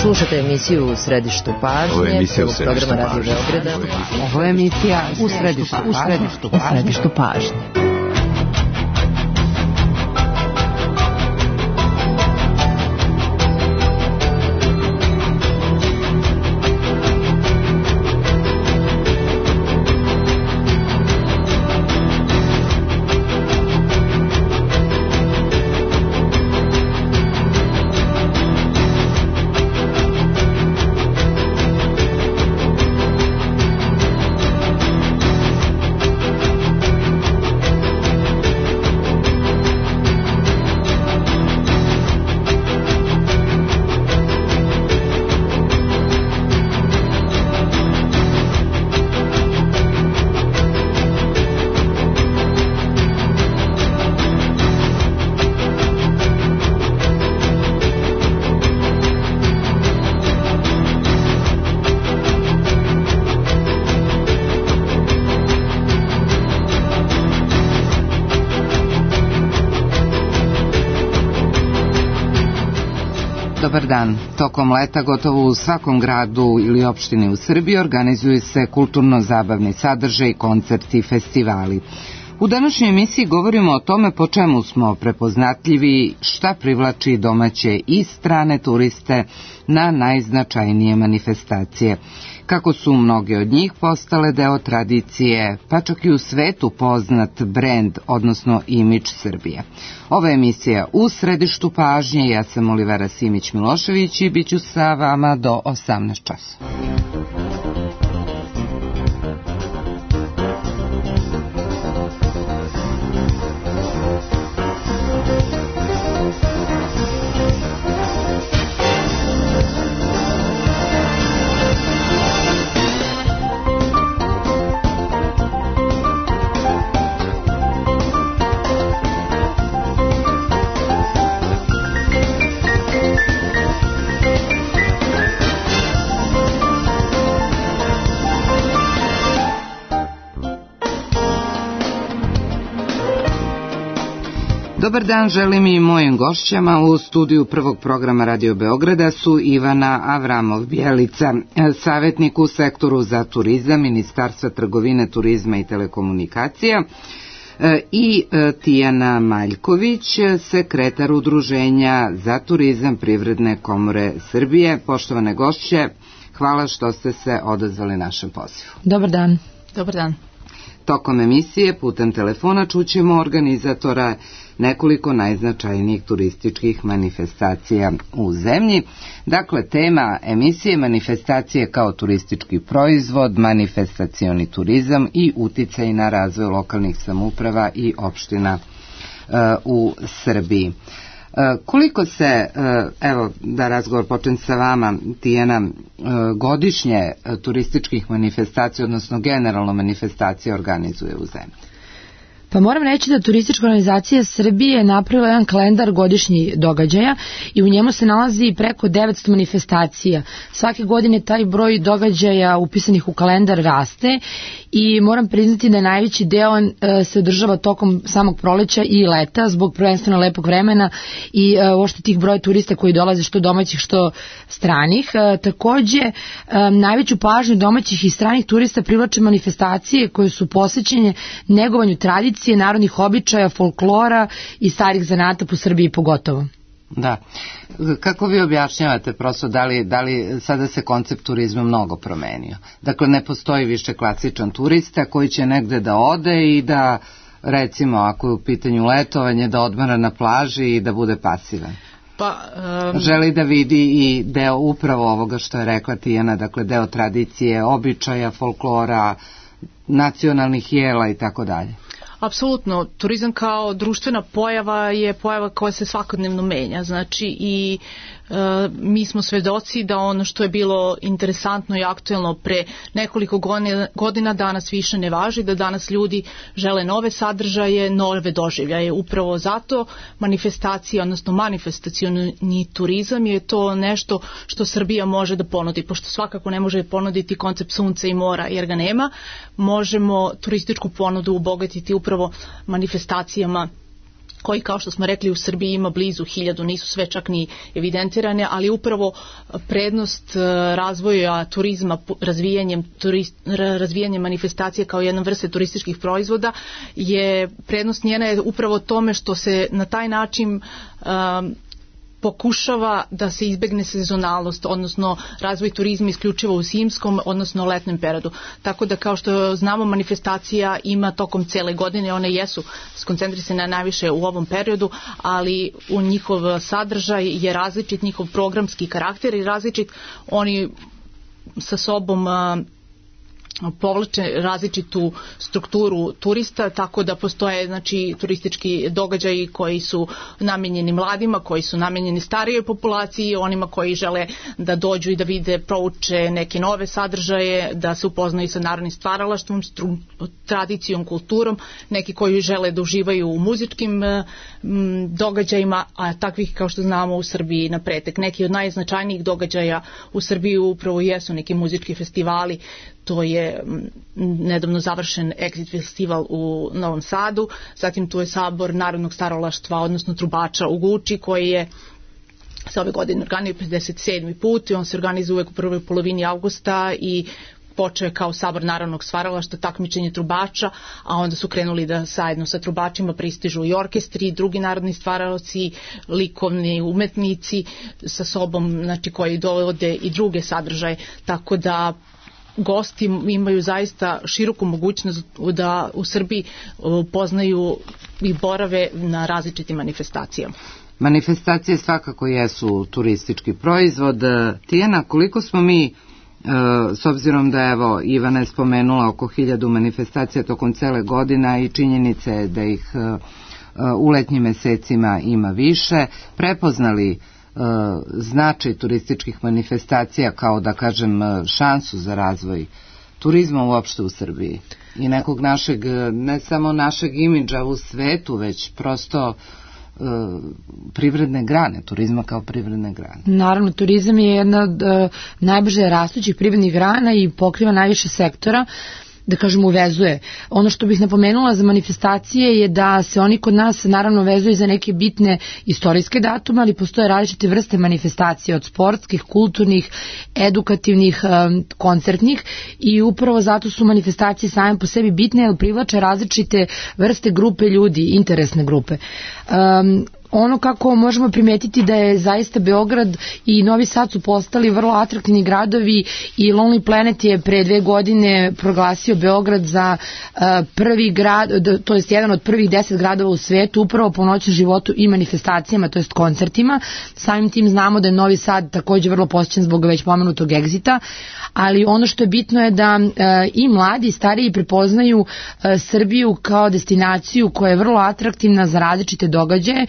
Slušate emisiju U središtu pažnje. Ovo je emisija U središtu programa Radio Beograda. Ovo je emisija U središtu pažnje. Dobar dan. Tokom leta gotovo u svakom gradu ili opštini u Srbiji organizuju se kulturno-zabavni sadržaj, koncerti i festivali. U današnjoj emisiji govorimo o tome po čemu smo prepoznatljivi, šta privlači domaće i strane turiste na najznačajnije manifestacije, kako su mnoge od njih postale deo tradicije, pa čak i u svetu poznat brend, odnosno imidž Srbije. Ova emisija U središtu pažnje, ja sam Olivera Simić-Milošević i bit ću sa vama do 18 časova. Dobar dan želim i mojim gošćama. U studiju prvog programa Radio Beograda su Ivana Avramov-Bjelica, savjetnik u sektoru za turizam Ministarstva trgovine, turizma i telekomunikacija, i Tijana Maljković, sekretar Udruženja za turizam Privredne komore Srbije. Poštovane gošće, hvala što ste se odazvali našem pozivu. Dobar dan. Dobar dan. Tokom emisije putem telefona čućemo organizatora nekoliko najznačajnijih turističkih manifestacija u zemlji. Dakle, tema emisije manifestacije kao turistički proizvod, manifestacioni turizam i uticaj na razvoj lokalnih samouprava i opština u Srbiji. Koliko se, evo da razgovor počnem sa vama, Tijana, godišnje turističkih manifestacija, odnosno generalno manifestacije organizuje u zemlji? Pa moram reći da Turistička organizacija Srbije je napravila jedan kalendar godišnjih događaja i u njemu se nalazi preko 900 manifestacija. Svake godine taj broj događaja upisanih u kalendar raste i moram priznati da najveći deo se održava tokom samog proleća i leta zbog prvenstveno lepog vremena i uopšte tih broja turista koji dolaze što domaćih što stranih. Takođe, najveću pažnju domaćih i stranih turista privlače manifestacije koje su posvećene negovanju tradicije, narodnih običaja, folklora i starih zanata po Srbiji pogotovo. Da. Kako vi objašnjavate prosto da li sada se koncept turizma mnogo promenio? Dakle, ne postoji više klasičan turista koji će negde da ode i da, recimo, ako je u pitanju letovanje, da odmara na plaži i da bude pasivan. Želi da vidi i deo upravo ovoga što je rekla Tijana, dakle deo tradicije, običaja, folklora, nacionalnih jela i tako dalje. Apsolutno, turizam kao društvena pojava je pojava koja se svakodnevno menja, znači i mi smo svedoci da ono što je bilo interesantno i aktuelno pre nekoliko godina danas više ne važi, da danas ljudi žele nove sadržaje, nove doživljaje. Upravo zato manifestacija, odnosno manifestacioni turizam je to nešto što Srbija može da ponudi, pošto svakako ne može ponuditi koncept sunca i mora jer ga nema, možemo turističku ponudu obogatiti upravo manifestacijama koji, kao što smo rekli, u Srbiji ima blizu 1000, nisu sve čak ni evidentirane, ali upravo prednost razvoja turizma, razvijanjem manifestacije kao jedna vrste turističkih proizvoda je prednost njena je upravo tome što se na taj način pokušava da se izbegne sezonalnost, odnosno razvoj turizma isključivo u zimskom, odnosno letnjem periodu. Tako da, kao što znamo, manifestacija ima tokom cele godine, one jesu skoncentrisane najviše u ovom periodu, ali u njihov sadržaj je različit, njihov programski karakter je različit, oni sa sobom povlače različitu strukturu turista, tako da postoje turistički događaji koji su namenjeni mladima, koji su namenjeni starijoj populaciji, onima koji žele da dođu i da vide, prouče neke nove sadržaje, da se upoznaju sa narodnim stvaralaštvom, tradicijom, kulturom, neki koji žele da uživaju u muzičkim događajima, a takvih, kao što znamo, u Srbiji na pretek. Neki od najznačajnijih događaja u Srbiji upravo jesu neki muzički festivali. To je nedavno završen Exit festival u Novom Sadu, zatim tu je Sabor narodnog stvaralaštva, odnosno trubača u Guči, koji je sa ove godine organizuje 57. put i on se organizuje uvek u prvoj polovini avgusta i počeo je kao Sabor narodnog stvaralaštva, takmičenje trubača, a onda su krenuli da zajedno sa trubačima pristižu i orkestri, drugi narodni stvaralaci, likovni umetnici sa sobom, koji dovode i druge sadržaje, tako da gosti imaju zaista široku mogućnost da u Srbiji poznaju i borave na različitim manifestacijama. Manifestacije svakako jesu turistički proizvod. Tijana, koliko smo mi, s obzirom da evo Ivana je spomenula oko 1000 manifestacija tokom cele godine i činjenica je da ih u letnjim mesecima ima više, prepoznali značaj turističkih manifestacija kao, da kažem, šansu za razvoj turizma uopšte u Srbiji i nekog našeg, ne samo našeg imidža u svetu, već prosto privredne grane, turizma kao privredne grane. Naravno, turizam je jedna od najbrže rastućih privrednih grana i pokriva najviše sektora, da kažem, uvezuje. Ono što bih napomenula za manifestacije je da se oni kod nas naravno vezuju za neke bitne istorijske datume, ali postoje različite vrste manifestacije, od sportskih, kulturnih, edukativnih, koncertnih, i upravo zato su manifestacije same po sebi bitne, jer privlače različite vrste grupe ljudi, interesne grupe. Ono kako možemo primetiti da je zaista Beograd i Novi Sad su postali vrlo atraktivni gradovi i Lonely Planet je pre 2 godine proglasio Beograd za prvi grad, to jest jedan od prvih 10 gradova u svetu upravo po noćnom životu i manifestacijama, to jest koncertima. Samim tim znamo da je Novi Sad takođe vrlo posjećen zbog već pomenutog Exita, ali ono što je bitno je da i mladi i stariji prepoznaju Srbiju kao destinaciju koja je vrlo atraktivna za različite događaje.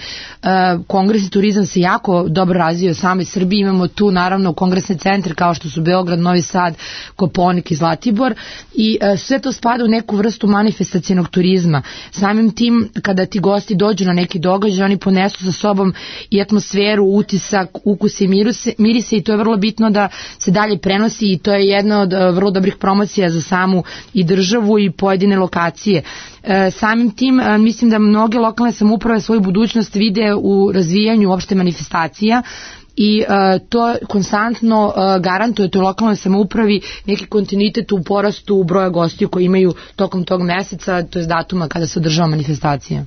Kongres i turizam se jako dobro razvio u samoj Srbiji, imamo tu naravno kongresne centre kao što su Beograd, Novi Sad, Kopaonik i Zlatibor, i sve to spada u neku vrstu manifestacionog turizma. Samim tim, kada ti gosti dođu na neki događaj, oni ponesu sa sobom i atmosferu, utisak, ukuse i mirise, i to je vrlo bitno da se dalje prenosi, i to je jedna od vrlo dobrih promocija za samu i državu i pojedine lokacije. Samim tim mislim da mnoge lokalne samouprave svoju budućnost vide u razvijanju opšte manifestacija i to konstantno garantuje toj lokalnoj samoupravi neki kontinuitet u porastu broja gostiju koji imaju tokom tog meseca, to je datuma kada se održava manifestacija.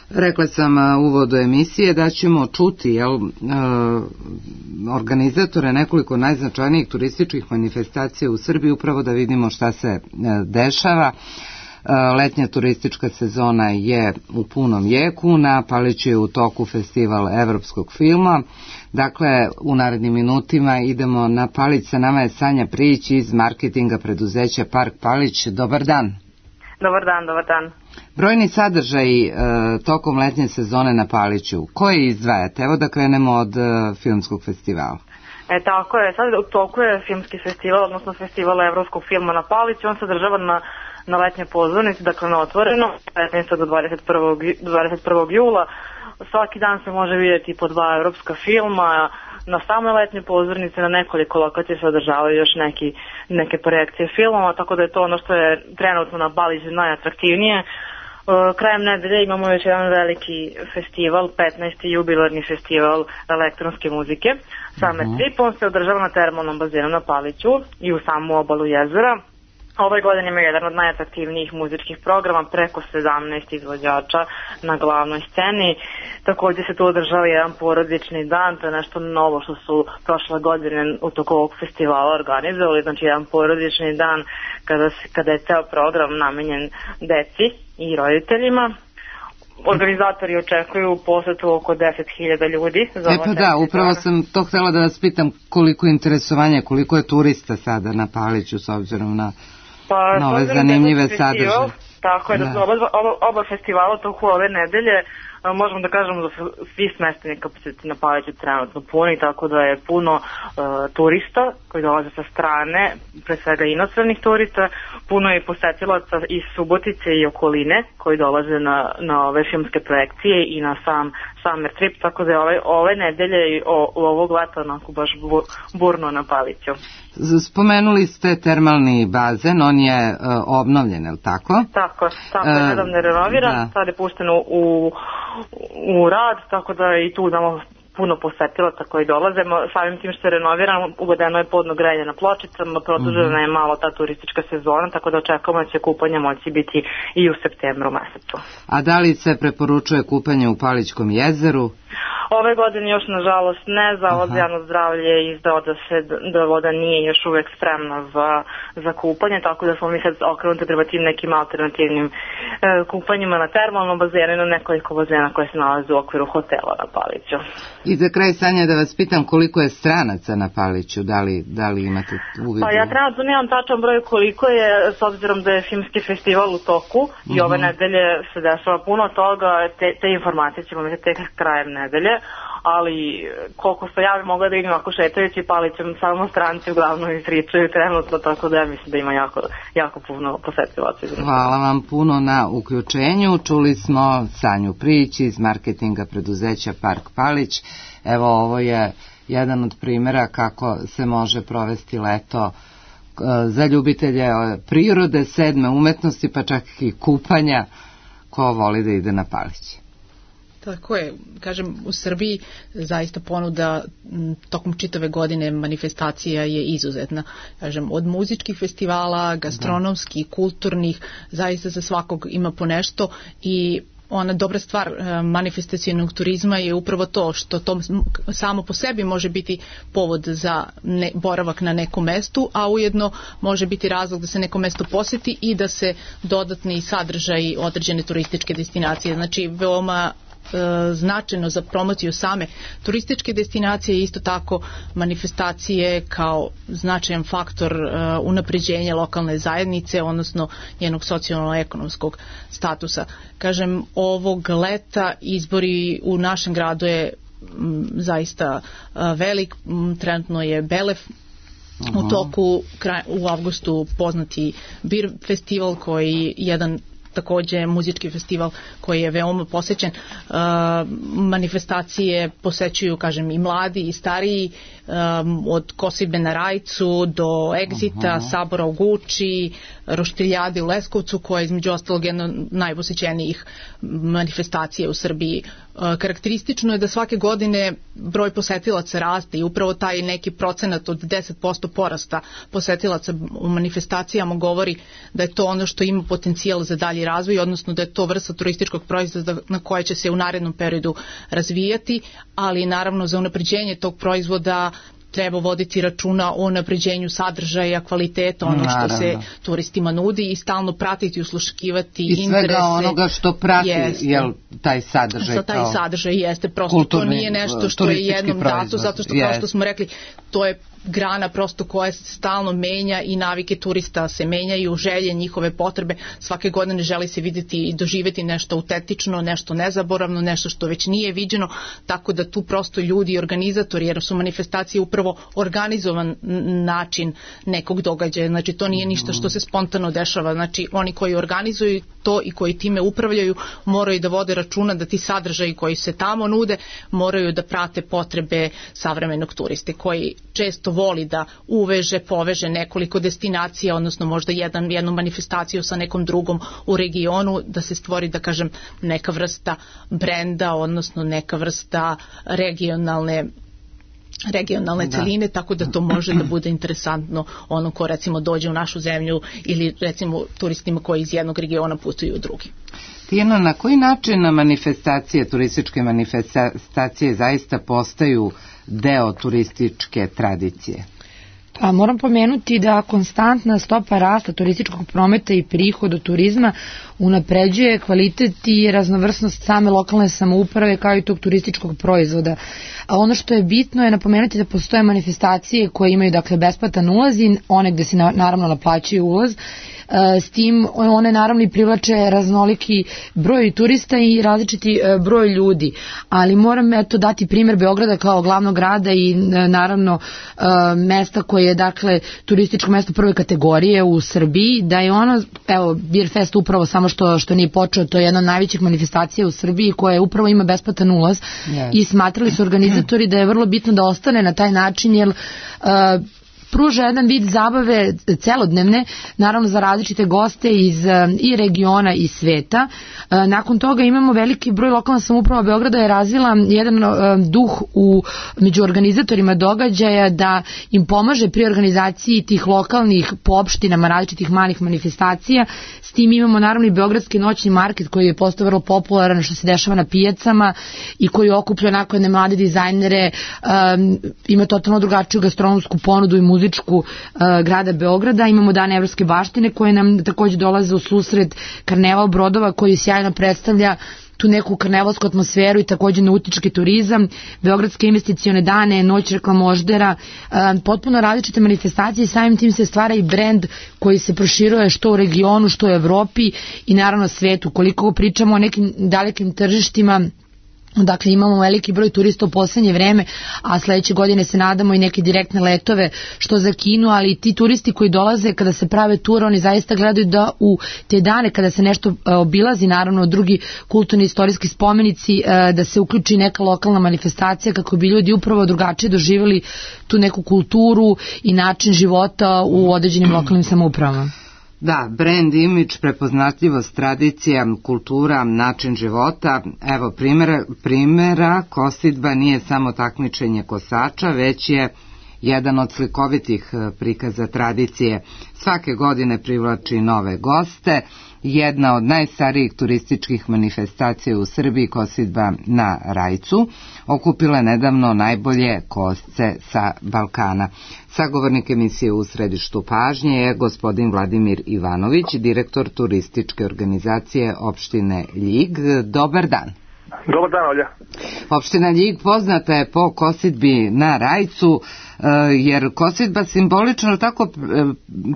Rekla sam u uvodu emisije da ćemo čuti organizatore nekoliko najznačajnijih turističkih manifestacija u Srbiji, upravo da vidimo šta se dešava. Letnja turistička sezona je u punom jeku, na Paliću je u toku festival evropskog filma. Dakle, u narednim minutima idemo na Palić, sa nama je Sanja Prijić iz marketinga preduzeća Park Palić. Dobar dan. Dobar dan, dobar dan. Brojni sadržaji tokom letnje sezone na Paliću, koje izdvajate? Evo da krenemo od filmskog festivala. Tako je, sad u toku je filmski festival, odnosno festival evropskog filma na Paliću, on se održava na letnje pozornici, dakle na otvoreno, 15. do 21. jula. Svaki dan se može vidjeti po 2 evropska filma, na samoj letnje pozornice na nekoliko lokacija se održavaju još neke projekcije filmova, tako da je to ono što je trenutno na Paliću najatraktivnije. Krajem nedelje imamo još jedan veliki festival, 15. jubilarni festival elektronske muzike. Summer Trip, on se održava na termalnom bazenu na Paliću i u samu obalu jezera. Ove godine ima jedan od najatraktivnijih muzičkih programa, preko 17 izvođača na glavnoj sceni. Također se tu održava jedan porodični dan, to je nešto novo što su prošle godine u toku ovog festivala organizovali, znači jedan porodični dan kada je ceo program namenjen deci i roditeljima. Organizatori očekuju posetu oko 10.000 ljudi. Pa da, upravo sam to htjela da vas pitam koliko interesovanja, koliko je turista sada na Paliću s obzirom na ove zanimljive sadržaje. Tako je, da su oba festivala toku ove nedelje, možemo da kažemo da su svi smesteni kapaciteti na Paliću trenutno puni, tako da je puno turista koji dolaze sa strane, pre svega inostranih turista, puno je posetilaca iz Subotice i okoline koji dolaze na ove filmske projekcije i na sam Summer Trip, tako da je ove nedelje i ovog leta onako baš burno na Paliću. Spomenuli ste termalni bazen, on je obnovljen, je li tako? Tako je, nedavno je renoviran, sad je pušten u rad, tako da i tu imamo puno posetilaca koji dolaze. Samim tim što je renoviran, uvedeno je podno grejanje na pločicama, produžena je malo ta turistička sezona, tako da očekujemo da će kupanje moći biti i u septembru mesecu. A da li se preporučuje kupanje u Palićkom jezeru? Ove godine još nažalost ne, Zavod za javno zdravlje je izdao da voda nije još uvek spremna za kupanje, tako da smo mi sad okrenuti prema tim nekim alternativnim kupanjima na termalnom bazenu i na nekoliko bazena koje se nalaze u okviru hotela na Paliću. I za kraj, Sanja, da vas pitam koliko je stranaca na Paliću, da li imate uvidu? Pa ja trenutno nemam tačan broj koliko je, s obzirom da je filmski festival u toku i ove nedelje se dešava puno toga, te informacije ćemo imati tek krajem nedelje, ali koliko se ja mogla da vidim ako šetajući Palićem, samo stranci uglavnom izričaju trenutno, tako da ja mislim da ima jako puno posetilaca. Hvala vam puno na uključenju. Čuli smo Sanju Prijić iz marketinga preduzeća Park Palić. Evo, ovo je jedan od primjera kako se može provesti leto za ljubitelje prirode, 7. umetnosti, pa čak i kupanja, ko voli da ide na Palić. Tako je, kažem, u Srbiji zaista ponuda tokom čitave godine manifestacija je izuzetna. Kažem, od muzičkih festivala, gastronomskih, kulturnih, zaista za svakog ima po nešto i ona dobra stvar manifestacionog turizma je upravo to što to samo po sebi može biti povod za boravak na nekom mestu, a ujedno može biti razlog da se neko mesto poseti i da se dodatni sadržaj određene turističke destinacije. Znači, veoma značajno za promociju same turističke destinacije i isto tako manifestacije kao značajan faktor unapređenja lokalne zajednice, odnosno njenog socijalno-ekonomskog statusa. Kažem, ovog leta izbori u našem gradu je zaista velik, trenutno je Belef u toku, u avgustu poznati Bir festival koji je jedan takođe muzički festival koji je veoma posećen. Manifestacije posećuju, kažem, i mladi i stariji, od Kosirbe na Rajcu do Egzita, Sabora u Guči, Roštiljade u Leskovcu, koja je između ostalog jedna od najposećenijih manifestacija u Srbiji. Karakteristično je da svake godine broj posetilaca raste i upravo taj neki procenat od 10% porasta posetilaca u manifestacijama govori da je to ono što ima potencijal za dalji razvoj, odnosno da je to vrsta turističkog proizvoda na koje će se u narednom periodu razvijati, ali naravno za unapređenje tog proizvoda treba voditi računa o unapređenju sadržaja, kvaliteta, ono što se turistima nudi i stalno pratiti, usluškivati interese. I svega onoga što prati taj sadržaj. Taj sadržaj jeste, prosto to nije nešto što je jednom dato, zato što kao što smo rekli, to je grana prosto koja se stalno menja i navike turista se menjaju, želje, njihove potrebe, svake godine želi se vidjeti i doživjeti nešto autentično, nešto nezaboravno, nešto što već nije viđeno, tako da tu prosto ljudi i organizatori, jer su manifestacije upravo organizovan način nekog događaja, znači to nije ništa što se spontano dešava, znači oni koji organizuju to i koji time upravljaju moraju da vode računa da ti sadržaji koji se tamo nude moraju da prate potrebe savremenog turiste koji često voli da poveže nekoliko destinacija, odnosno možda jednu manifestaciju sa nekom drugom u regionu, da se stvori, da kažem, neka vrsta brenda, odnosno neka vrsta regionalne celine, tako da to može da bude interesantno ono ko recimo dođe u našu zemlju ili recimo turistima koji iz jednog regiona putuju u drugi. Tijana, na koji način manifestacije, turističke manifestacije zaista postaju deo turističke tradicije? Pa moram pomenuti da konstantna stopa rasta turističkog prometa i prihod od turizma unapređuje kvalitet i raznovrsnost same lokalne samouprave kao i tog turističkog proizvoda. A ono što je bitno je napomenuti da postoje manifestacije koje imaju dakle besplatan ulaz i one gde se naravno naplaćuje ulaz. S tim one naravno i privlače raznoliki broj turista i različiti broj ljudi, ali moram dati primjer Beograda kao glavnog grada i naravno mesta koje je dakle turističko mesto prve kategorije u Srbiji, da je ono, Beer Fest upravo samo što nije počeo, to je jedna od najvećih manifestacija u Srbiji koja upravo ima besplatan ulaz i smatrali su organizatori da je vrlo bitno da ostane na taj način, jer pruža jedan vid zabave celodnevne, naravno za različite goste iz i regiona i sveta. Nakon toga imamo veliki broj, lokalna samouprava Beograda je razvila jedan duh među organizatorima događaja da im pomaže pri organizaciji tih lokalnih po opštinama različitih malih manifestacija. S tim imamo naravno i Beogradski noćni market koji je postao vrlo popularan, što se dešava na pijacama i koji okuplja onako jedne mlade dizajnere, ima totalno drugačiju gastronomsku ponudu i muzičku grada Beograda. Imamo Dan evropske baštine koje nam takođe dolaze u susret, karneval brodova koji sjajno predstavlja tu neku karnevalsku atmosferu i takođe nautički turizam, Beogradske investicione dane, noć reklamoždera, potpuno različite manifestacije i samim tim se stvara i brend koji se proširuje što u regionu, što u Evropi i naravno svetu. Koliko pričamo o nekim dalekim tržištima, dakle imamo veliki broj turista u poslednje vreme, a sledeće godine se nadamo i neke direktne letove što za Kinu, ali ti turisti koji dolaze kada se prave ture, oni zaista gledaju da u te dane kada se nešto obilazi, naravno drugi kulturni istorijski spomenici, da se uključi neka lokalna manifestacija kako bi ljudi upravo drugačije doživjeli tu neku kulturu i način života u određenim lokalnim samoupravama. Da, brand, imidž, prepoznatljivost, tradicija, kultura, način života. Evo primjera, kosidba nije samo takmičenje kosača, već je jedan od slikovitih prikaza tradicije. Svake godine privlači nove goste. Jedna od najstarijih turističkih manifestacija u Srbiji, kosidba na Rajcu, okupila je nedavno najbolje kosce sa Balkana. Sagovornik emisije U središtu pažnje je gospodin Vladimir Ivanović, direktor turističke organizacije opštine Ljig. Dobar dan. Dobar dan, Olja. Opština Ljig poznata je po kosidbi na Rajcu, jer kosidba simbolično tako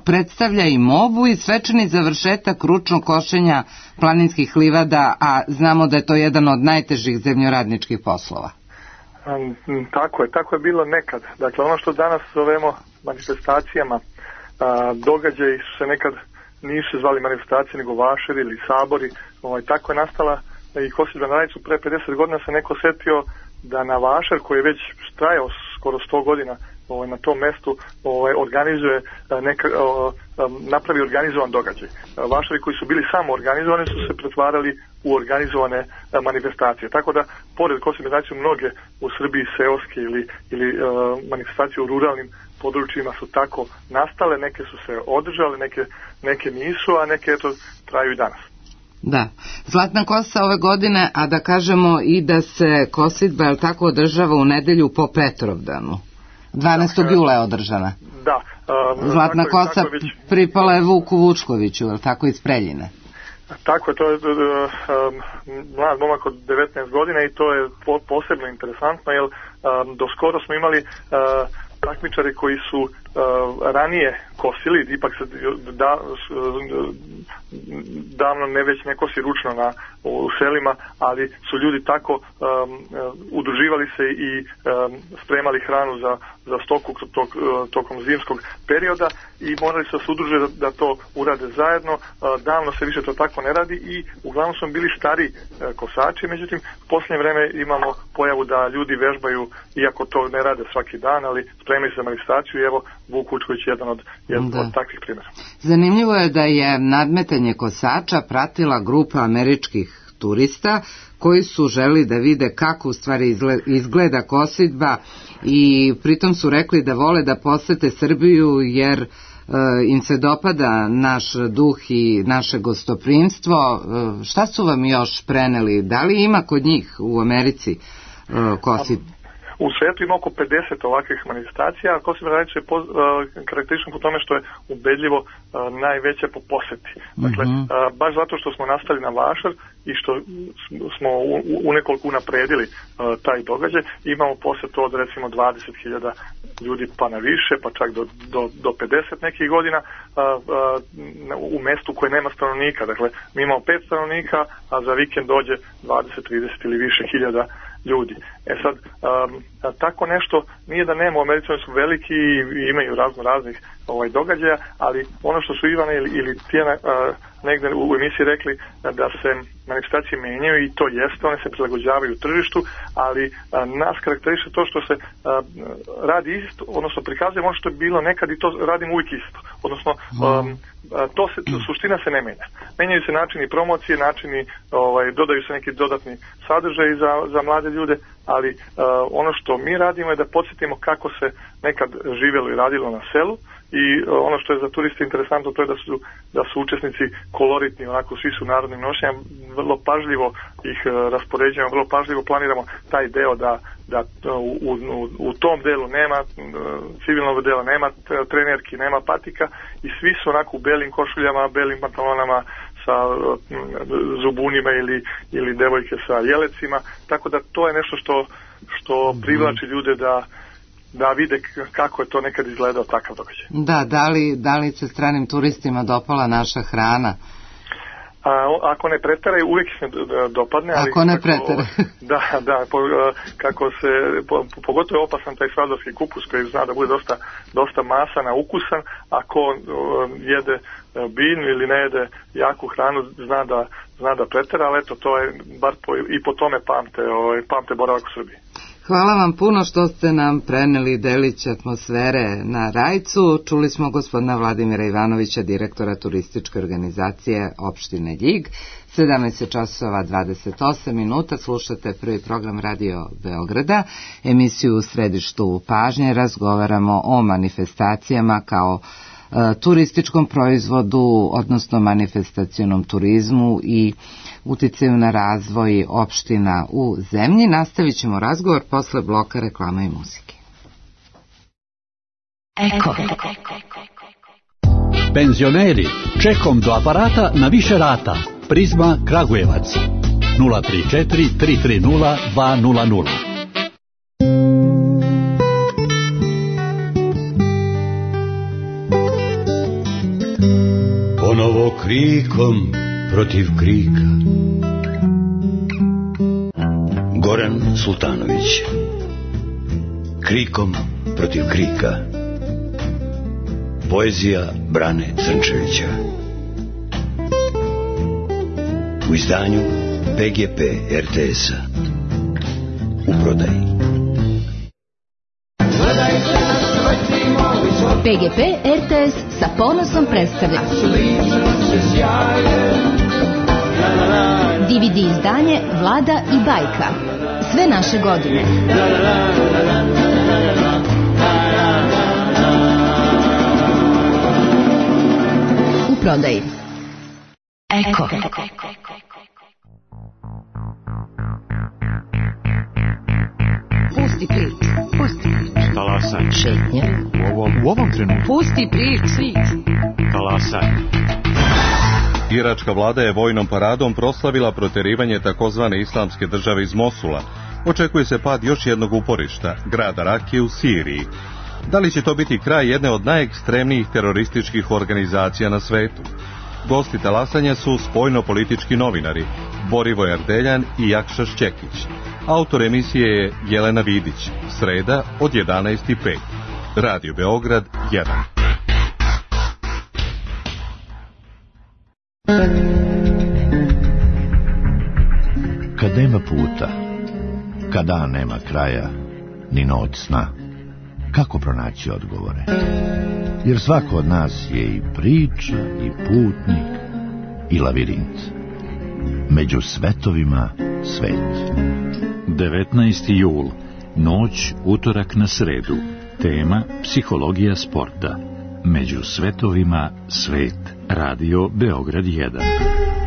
predstavlja i mobu i svečani završetak ručnog košenja planinskih livada, a znamo da je to jedan od najtežih zemljoradničkih poslova. Tako je bilo nekad. Dakle, ono što danas zovemo manifestacijama, događaji se nekad nisu zvali manifestacije, nego vašeri ili sabori. Tako je nastala i kosidba na Rajcu. Pre 50 godina se neko setio da na vašer koji je već trajao skoro 100 godina na tom mestu organizuje napravi organizovan događaj. Vašeri koji su bili samo organizovani su se pretvarali u organizovane manifestacije. Tako da, pored kosidbe na Rajcu, mnoge u Srbiji seoske ili manifestacije u ruralnim područjima su tako nastale, neke su se održale, neke nisu, a neke traju i danas. Da, Zlatna kosa ove godine, a da kažemo i da se kosidba tako održava u nedelju po Petrovdanu. 12. jula je održana. Da. Zlatna kosa pripala je Vuku Vučkoviću, je li tako, iz Preljine? Tako je, to je mlad momak od 19 godina i to je posebno interesantno, jer do skoro smo imali takmičare koji su ranije kosili, ipak se davno ne već ne kosi ručno u selima, ali su ljudi tako udruživali se i spremali hranu za stoku tokom zimskog perioda i morali se udruže da to urade zajedno. Davno se više to tako ne radi i uglavnom su bili stari kosači, međutim u posljednje vreme imamo pojavu da ljudi vežbaju, iako to ne rade svaki dan, ali spremaju se za manifestaciju i evo Vuk Vučković je jedan od takvih primjera. Zanimljivo je da je nadmetanje kosača pratila grupa američkih turista koji su želi da vide kako u stvari izgleda kosidba i pritom su rekli da vole da posete Srbiju jer im se dopada naš duh i naše gostoprimstvo. Šta su vam još preneli? Da li ima kod njih u Americi kosidba? U svijetu ima oko 50 ovakvih manifestacija, a kosidba je karakteristično po tome što je ubedljivo najveća po poseti. Dakle, baš zato što smo nastali na vašar i što smo unekoliko unapredili taj događaj, imamo posetu od recimo 20.000 ljudi pa na više, pa čak do 50 nekih godina u mestu koje nema stanovnika. Dakle, mi imamo 5 stanovnika, a za vikend dođe 20, 30 ili više hiljada ljudi. Sad, tako nešto nije da nema, u Americi su veliki i imaju raznih događaja, ali ono što su Ivana ili Tijana negde u emisiji rekli da se manifestacije menjaju i to jeste, one se prilagođavaju tržištu, ali nas karakteriše to što se radi isto, odnosno prikazuje ono što je bilo nekad i to radimo uvijek isto. Odnosno, suština se ne menja. Menjaju se načini promocije, dodaju se neki dodatni sadržaji za mlade ljude, ali ono što mi radimo je da podsjetimo kako se nekad živjelo i radilo na selu i ono što je za turiste interesantno to je da su učesnici koloritni, onako svi su narodnim nošnjama, vrlo pažljivo ih raspoređujemo, vrlo pažljivo planiramo taj deo da u tom delu nema civilnog dela, nema trenerki, nema patika i svi su onako u belim košuljama, belim pantalonama sa zubunima ili devojke sa jelecima, tako da to je nešto što privlači ljude da vide kako je to nekad izgledao takav događaj. Da li se stranim turistima dopala naša hrana? Ako ne preteraju, uvijek se dopadne. Ali ako ne preteraju. Kako se, pogotovo je opasan taj svadorski kupus koji zna da bude dosta masan, ukusan, ako jede biljnu ili ne jede jaku hranu, zna da pretera, ali eto, to je, bar i po tome pamte boravak u Srbiji. Hvala vam puno što ste nam preneli delić atmosfere na Rajcu. Čuli smo gospodina Vladimira Ivanovića, direktora turističke organizacije opštine Ljig. 17:28 slušate prvi program Radio Beograda, emisiju u središtu pažnje. Razgovaramo o manifestacijama kao turističkom proizvodu, odnosno manifestacionom turizmu i uticaju na razvoj opština u zemlji. Nastavit ćemo razgovor posle bloka reklama i muzike. Eko. Penzioneri, čekom do aparata na više rata. Prizma Kragujevac 034 330 200. Ponovo krikom protiv krika. Goran Sultanović. Krikom protiv krika. Poezija Brane Crnčevića. U izdanju PGP RTS-a. U prodaji. PGP RTS sa ponosom predstavlja DVD izdanje Vlada i bajka. Sve naše godine. U prodaji. Eko. Pusti priču. Talasaj. Šetnje. U ovom trenutku. Pusti priču. Talasaj. Iračka vlada je vojnom paradom proslavila proterivanje takozvane islamske države iz Mosula. Očekuje se pad još jednog uporišta, grada Rakije u Siriji. Da li će to biti kraj jedne od najekstremnijih terorističkih organizacija na svetu? Gosti talasanja su spoljno-politički novinari Borivoje Ardeljan i Jakša Šćekić. Autor emisije je Jelena Vidić. Sreda od 11:05. Radio Beograd 1. Kad nema puta, kad dan nema kraja, ni noć sna, kako pronaći odgovore? Jer svako od nas je i priča, i putnik, i lavirint. Među svetovima svet. 19. jul, noć, utorak na sredu. Tema psihologija sporta. Među svetovima svet. Radio Beograd 1.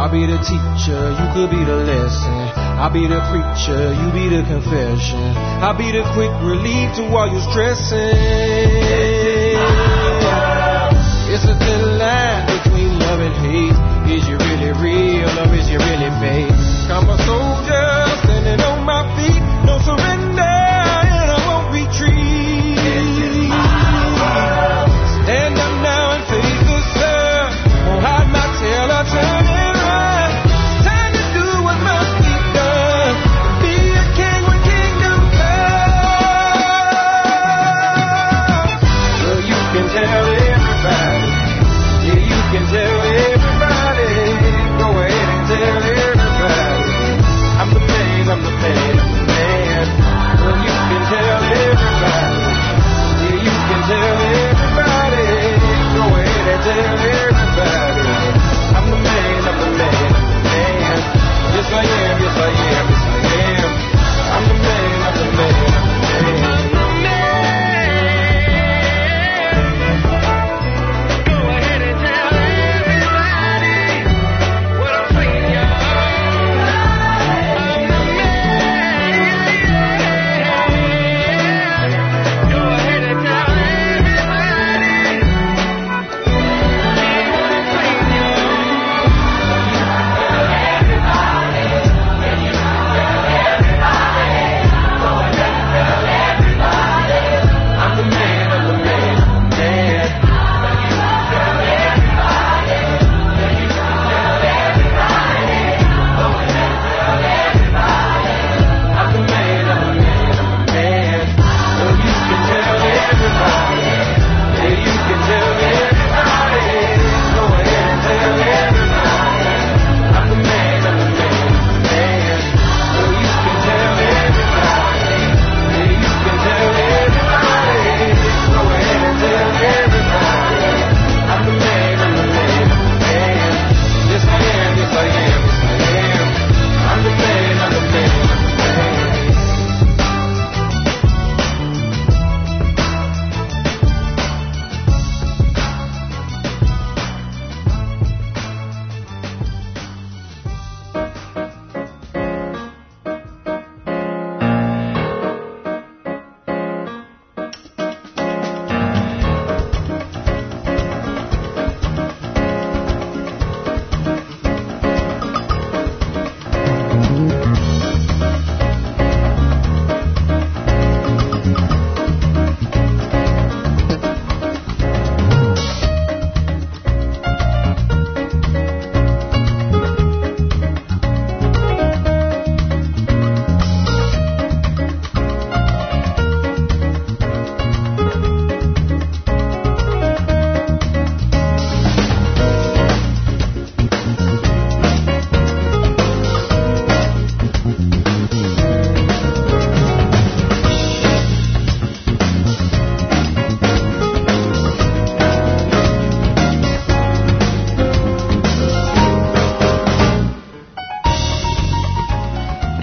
I'll be the teacher, you could be the lesson. I'll be the preacher, you be the confession. I'll be the quick relief to all your stressing. It's a thin line between love and hate. Is you really real or is you really fake? I'm a soldier standing on my feet. No surrender and I won't retreat. Stand up now and face the sun. Won't hide my tail or turn it.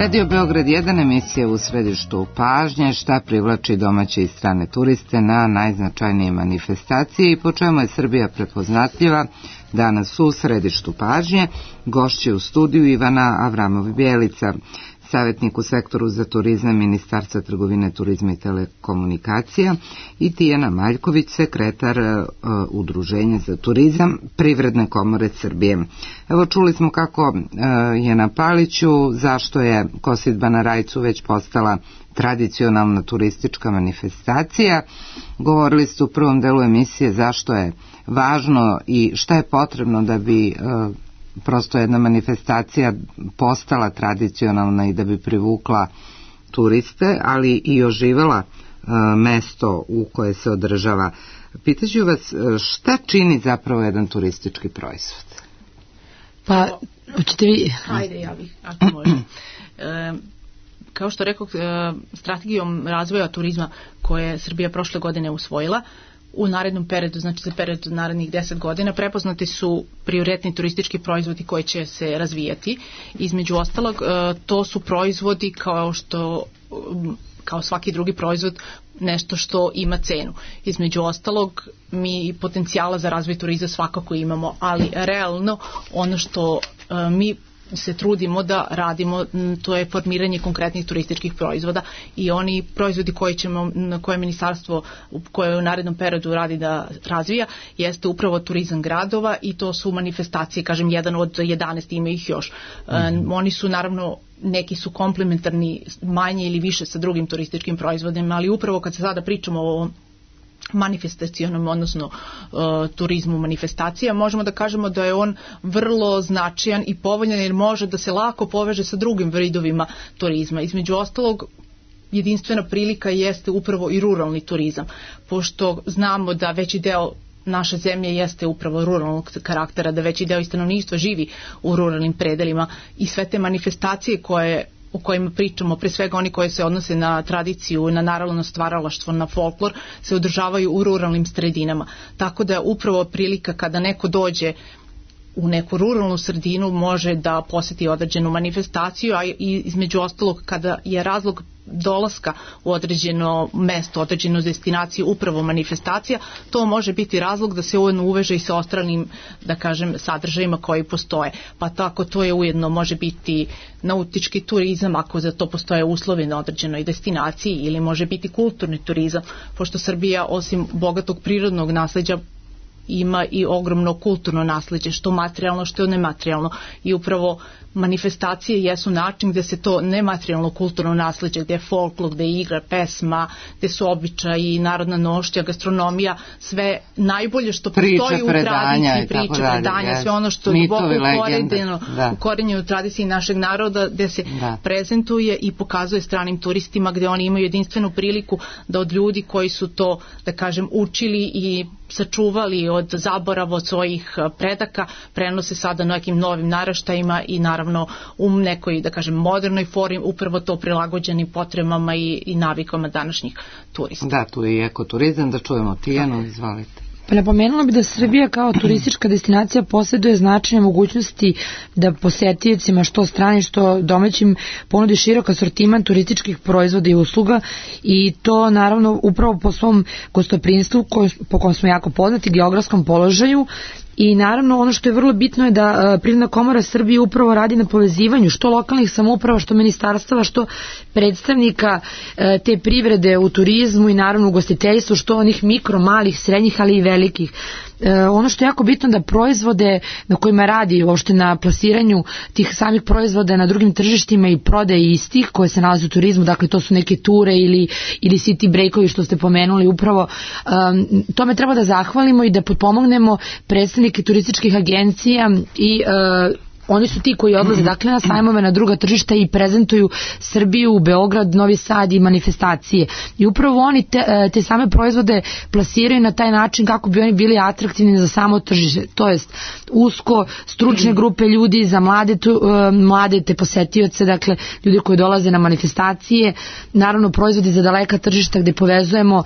Radio Beograd 1, emisija u središtu pažnje, šta privlači domaće i strane turiste na najznačajnije manifestacije i po čemu je Srbija prepoznatljiva. Danas u središtu pažnje gošće u studiju Ivana Avramov-Bjelica, savjetnik u sektoru za turizam Ministarstva trgovine, turizma i telekomunikacija, i Tijana Maljković, sekretar Udruženja za turizam Privredne komore Srbije. Evo, čuli smo kako je na Paliću, zašto je kosidba na Rajcu već postala tradicionalna turistička manifestacija. Govorili ste u prvom delu emisije zašto je važno i šta je potrebno da bi prosto jedna manifestacija postala tradicionalna i da bi privukla turiste, ali i oživela mesto u koje se održava. Pitaću vas, šta čini zapravo jedan turistički proizvod? Pa, hoćete vi? Hajde, ja bih, ako može. Kao što rekao, strategijom razvoja turizma koje je Srbija prošle godine usvojila, u narednom periodu, znači za period narednih 10 godina, prepoznati su prioritetni turistički proizvodi koji će se razvijati. Između ostalog, to su proizvodi kao svaki drugi proizvod, nešto što ima cenu. Između ostalog, mi potencijala za razvoj turizma svakako imamo, ali realno ono što mi se trudimo da radimo, to je formiranje konkretnih turističkih proizvoda, i oni proizvodi koje ministarstvo koje u narednom periodu radi da razvija jeste upravo turizam gradova, i to su manifestacije, kažem, jedan od 11, ima ih još. Oni su naravno, neki su komplementarni manje ili više sa drugim turističkim proizvodima, ali upravo kad se sada pričamo o manifestacionom, odnosno turizmu manifestacija, možemo da kažemo da je on vrlo značajan i povoljan, jer može da se lako poveže sa drugim vidovima turizma. Između ostalog, jedinstvena prilika jeste upravo i ruralni turizam, pošto znamo da veći deo naše zemlje jeste upravo ruralnog karaktera, da veći deo stanovništva živi u ruralnim predelima, i sve te manifestacije o kojima pričamo, pre svega oni koji se odnose na tradiciju, na narodno stvaralaštvo, na folklor, se održavaju u ruralnim sredinama. Tako da je upravo prilika kada neko dođe u neku ruralnu sredinu, može da poseti određenu manifestaciju, a i između ostalog, kada je razlog dolaska u određeno mesto, određenu destinaciju upravo manifestacija, to može biti razlog da se ujedno uveže i sa ostalim, da kažem, sadržajima koji postoje. Pa tako to je ujedno može biti nautički turizam, ako za to postoje uslovi na određenoj destinaciji, ili može biti kulturni turizam, pošto Srbija osim bogatog prirodnog nasleđa ima i ogromno kulturno nasleđe, što materijalno, što nematerijalno, i upravo manifestacije jesu način gde se to nematerijalno kulturno nasleđe, gde je folklor, gde je igra, pesma, gde su običaji, narodna nošnja, gastronomija, sve najbolje što postoji u tradiciji, priče, predanja, sve ono što je ukorenjeno u tradiciji našeg naroda, gde se prezentuje i pokazuje stranim turistima, gde oni imaju jedinstvenu priliku da od ljudi koji su to, da kažem, učili i sačuvali od zaborava od svojih predaka, prenose sada nekim novim naraštajima i naravno u nekoj, da kažem, modernoj formi, upravo to prilagođenim potrebama i navikama današnjih turista. Da, tu je i ekoturizam, da čujemo Tijanu, izvolite. Pa napomenula bi da Srbija kao turistička destinacija posjeduje značajne mogućnosti da posetiocima, što strani, što domaćim, ponudi širok asortiman turističkih proizvoda i usluga, i to naravno upravo po svom gostoprinstvu po kojem smo jako poznati, geografskom položaju. I naravno ono što je vrlo bitno je da Privredna komora Srbije upravo radi na povezivanju što lokalnih samouprava, što ministarstava, što predstavnika te privrede u turizmu i naravno u ugostiteljstvu, što onih mikro, malih, srednjih, ali i velikih. Ono što je jako bitno da proizvode na kojima radi, uopšte na plasiranju tih samih proizvoda na drugim tržištima i prodaje istih koje se nalaze u turizmu, dakle to su neke ture ili city breakovi što ste pomenuli, upravo tome treba da zahvalimo i da potpomognemo predstavnike turističkih agencija i oni su ti koji odlaze dakle na sajmove, na druga tržišta i prezentuju Srbiju, Beograd, Novi Sad i manifestacije. I upravo oni te same proizvode plasiraju na taj način kako bi oni bili atraktivni za samo tržište. To jest usko stručne grupe ljudi, za mlade te posetioce, dakle ljudi koji dolaze na manifestacije, naravno proizvodi za daleka tržišta gde povezujemo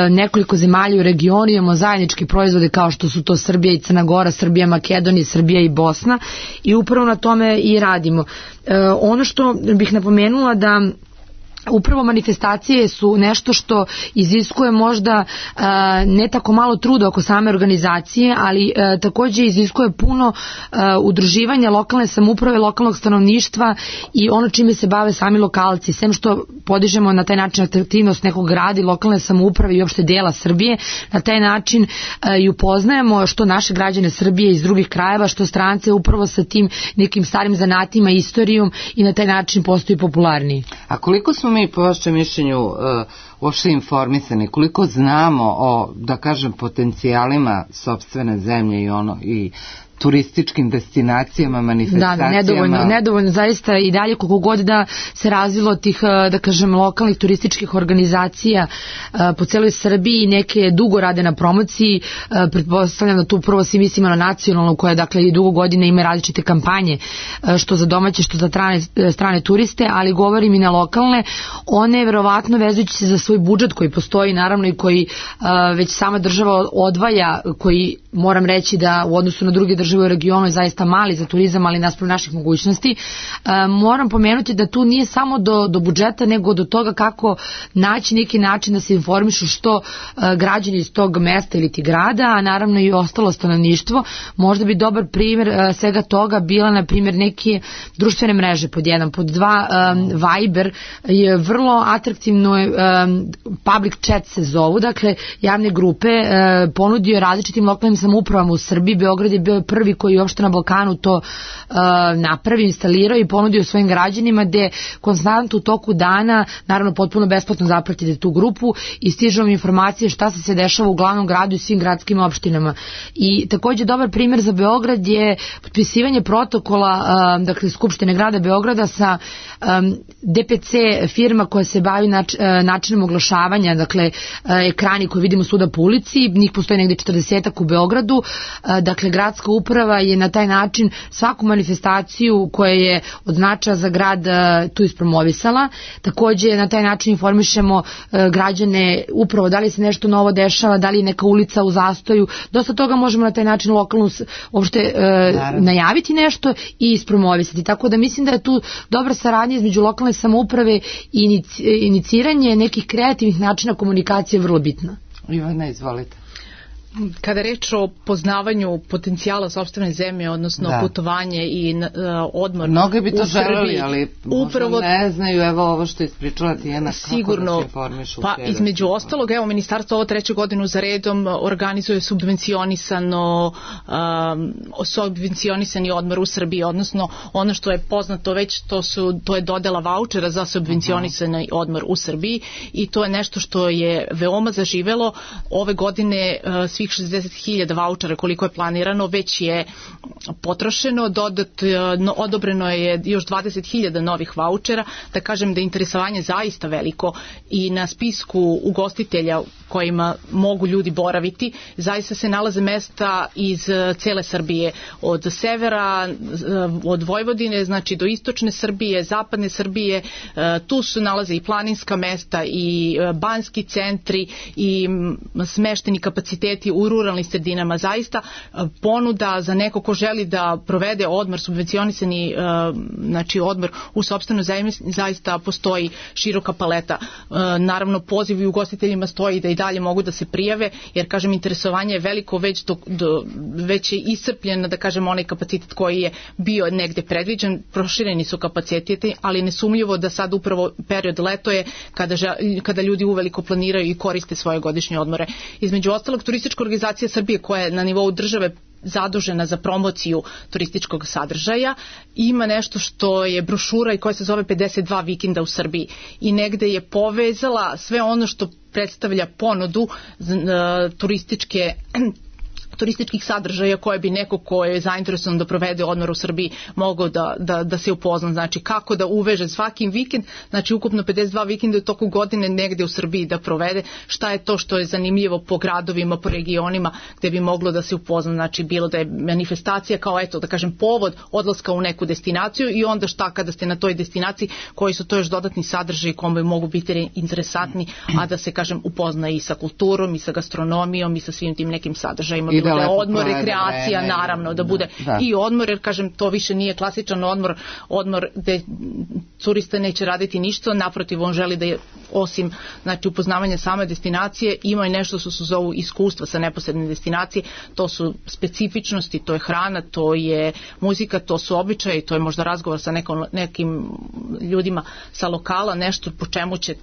nekoliko zemalja u regionu, imamo zajedničke proizvode kao što su to Srbija i Crna Gora, Srbija, Makedonija, Srbija i Bosna i upravo na tome i radimo. Ono što bih napomenula da upravo manifestacije su nešto što iziskuje možda ne tako malo truda oko same organizacije, ali takođe iziskuje puno udruživanja lokalne samouprave, lokalnog stanovništva i ono čime se bave sami lokalci. Sem što podižemo na taj način atraktivnost nekog grada i lokalne samouprave i uopšte dela Srbije, na taj način i upoznajemo što naše građane Srbije iz drugih krajeva, što strance upravo sa tim nekim starim zanatima, istorijom i na taj način postaju popularniji. A koliko smo mi po vašem mišljenju uopšte informisani, koliko znamo o, da kažem, potencijalima sopstvene zemlje i turističkim destinacijama, manifestacijama? Da, nedovoljno, zaista i dalje koliko god da se razvilo tih, da kažem, lokalnih turističkih organizacija po celoj Srbiji, neke dugo rade na promociji, pretpostavljam da tu prvo svi mislimo na nacionalnu koja dakle i dugo godine ima različite kampanje, što za domaće, što za strane turiste, ali govorim i na lokalne, one verovatno vezujući se za svoj budžet koji postoji naravno i koji već sama država odvaja, koji moram reći da u odnosu na druge države u regionu je zaista mali za turizam, ali naspram naših mogućnosti. Moram pomenuti da tu nije samo do budžeta, nego do toga kako naći neki način da se informišu što građani iz tog mesta ili ti grada, a naravno i ostalo stanovništvo. Možda bi dobar primjer svega toga bila, na primjer, neke društvene mreže pod jedan, pod dva. Viber je vrlo atraktivno, public chat se zovu, dakle javne grupe, ponudio različitim lokalnim samoupravama u Srbiji. Beograd je bio prvi koji uopšte na Balkanu to napravi, instalirao i ponudio svojim građanima, gde konstantno u toku dana, naravno potpuno besplatno zapratite tu grupu i stižu vam informacije šta se dešava u glavnom gradu i svim gradskim opštinama. I takođe dobar primjer za Beograd je potpisivanje protokola, dakle Skupštine grada Beograda sa DPC firma koja se bavi načinom oglašavanja, dakle ekrani koje vidimo svuda po ulici, njih postoji negde 40-ak u Beogradu, dakle gradska uprava je na taj način svaku manifestaciju koja je od značaja za grad tu ispromovisala. Takođe na taj način informišemo građane upravo da li se nešto novo dešava, da li je neka ulica u zastoju. Dosta toga možemo na taj način lokalno uopšte najaviti nešto i ispromovisati. Tako da mislim da je tu dobra saradnja između lokalne samouprave i iniciranje nekih kreativnih načina komunikacije vrlo bitna. Ivana, izvolite. Kada je reč o poznavanju potencijala sopstvene zemlje, odnosno putovanje i odmor mnogi bi to u Srbiji, želeli, ali upravo ne znaju, evo ovo što ispričala Tijena, sigurno, kako da se informišu. Pa između ostalog, evo ministarstvo ovo 3. godinu za redom organizuje subvencionisani odmor u Srbiji, odnosno ono što je poznato već, to je dodela vaučera za subvencionisani odmor u Srbiji i to je nešto što je veoma zaživelo. Ove godine svih 60.000 vaučera koliko je planirano već je potrošeno, odobreno je još 20.000 novih vaučera, da kažem da je interesovanje zaista veliko i na spisku ugostitelja kojima mogu ljudi boraviti zaista se nalaze mesta iz cele Srbije, od severa, od Vojvodine, znači do istočne Srbije, zapadne Srbije, tu se nalaze i planinska mesta i banjski centri i smešteni kapaciteti u ruralnim sredinama. Zaista ponuda za neko ko želi da provede odmor, subvencionisani znači odmor u sopstvenoj zemlji, zaista postoji široka paleta. Naravno poziv i ugostiteljima stoji da i dalje mogu da se prijave, jer kažem interesovanje je veliko, već je iscrpljen, da kažem, onaj kapacitet koji je bio negde predviđen, prošireni su kapaciteti, ali nesumljivo da sad upravo period leto je kada ljudi uveliko planiraju i koriste svoje godišnje odmore. Između ostalog, Turistička organizacija Srbije koja je na nivou države zadužena za promociju turističkog sadržaja, ima nešto što je brošura i koja se zove 52 vikenda u Srbiji i negde je povezala sve ono što predstavlja ponudu turističke turističkih sadržaja koje bi neko ko je zainteresovan da provede odmor u Srbiji mogao da se upozna. Znači kako da uveže svaki vikend, znači ukupno 52 vikenda u toku godine negde u Srbiji da provede, šta je to što je zanimljivo po gradovima, po regionima gde bi moglo da se upozna. Znači bilo da je manifestacija kao eto da kažem povod odlaska u neku destinaciju i onda šta kada ste na toj destinaciji, koji su to još dodatni sadržaji koji mogu biti interesantni, a da se kažem upozna i sa kulturom i sa gastronomijom i sa svim tim nekim sadržajima. Da je odmor, rekreacija, naravno, da bude i odmor, jer kažem, to više nije klasičan odmor gde turista neće raditi ništa, naprotiv, on želi da je, osim znači, upoznavanja same destinacije, ima i nešto što se zovu iskustva sa neposredne destinacije, to su specifičnosti, to je hrana, to je muzika, to su običaji, to je možda razgovor sa nekim ljudima sa lokala, nešto po čemu će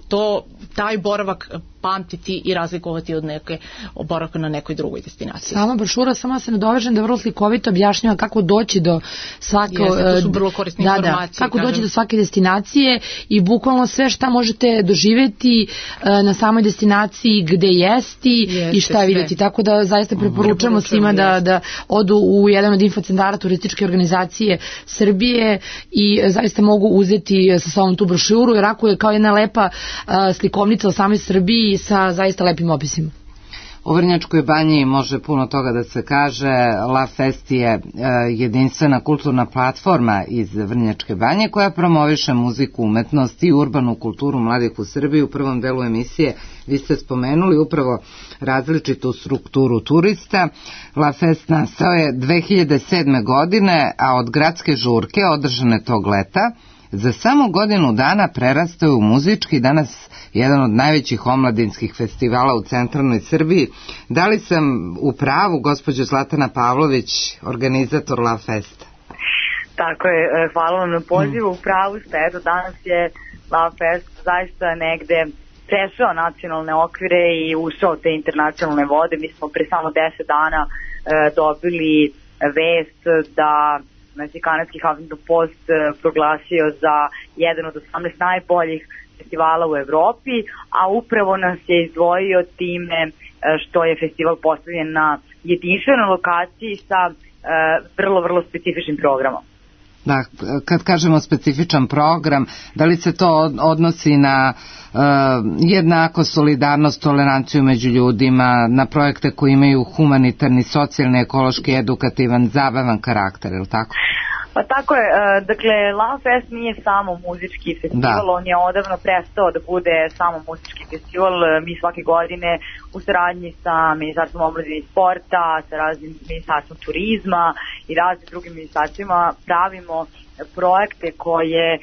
taj boravak pamtiti i razlikovati od neke boravka na nekoj drugoj destinaciji. Sama brošura, samo se nadovežem da vrlo slikovito objašnjava kako doći do svake to su vrlo korisne informacije. Kako doći do svake destinacije i bukvalno sve šta možete doživjeti na samoj destinaciji, gde jesti i šta vidjeti. Tako da zaista preporučujemo svima da odu u jedan od infocentara turističke organizacije Srbije i zaista mogu uzeti sa sobom tu brošuru, jer ako je kao jedna lepa slikovnica o samoj Srbiji sa zaista lepim opisima. U Vrnjačkoj banji može puno toga da se kaže. La Fest je jedinstvena kulturna platforma iz Vrnjačke banje koja promoviše muziku, umetnost i urbanu kulturu mladih u Srbiji. U prvom delu emisije vi ste spomenuli upravo različitu strukturu turista. La Fest nastao je 2007. godine, a od gradske žurke održane tog leta za samo godinu dana prerastao je u muzički, danas jedan od najvećih omladinskih festivala u centralnoj Srbiji. Da li sam u pravu, gospođo Zlatana Pavlović, organizator La Festa? Tako je, hvala vam na pozivu. U pravu ste, eto danas je La Fest zaista negde prešao nacionalne okvire i ušao te internacionalne vode. Mi smo pre samo 10 dana dobili vest da kanadski Huffington Post proglasio za jedan od 18 najboljih festivala u Evropi, a upravo nas je izdvojio time što je festival postavljen na jedinstvenoj lokaciji sa vrlo specifičnim programom. Da, kad kažemo specifičan program, da li se to odnosi na jednakost, solidarnost, toleranciju među ljudima, na projekte koji imaju humanitarni, socijalni, ekološki, edukativan, zabavan karakter, je li tako? Pa tako je, dakle, La Fest nije samo muzički festival, on je odavno prestao da bude samo muzički festival. Mi svake godine u saradnji sa Ministarstvom omladine i sporta, sa raznim Ministarstvom turizma i raznim drugim ministarstvima pravimo projekte koje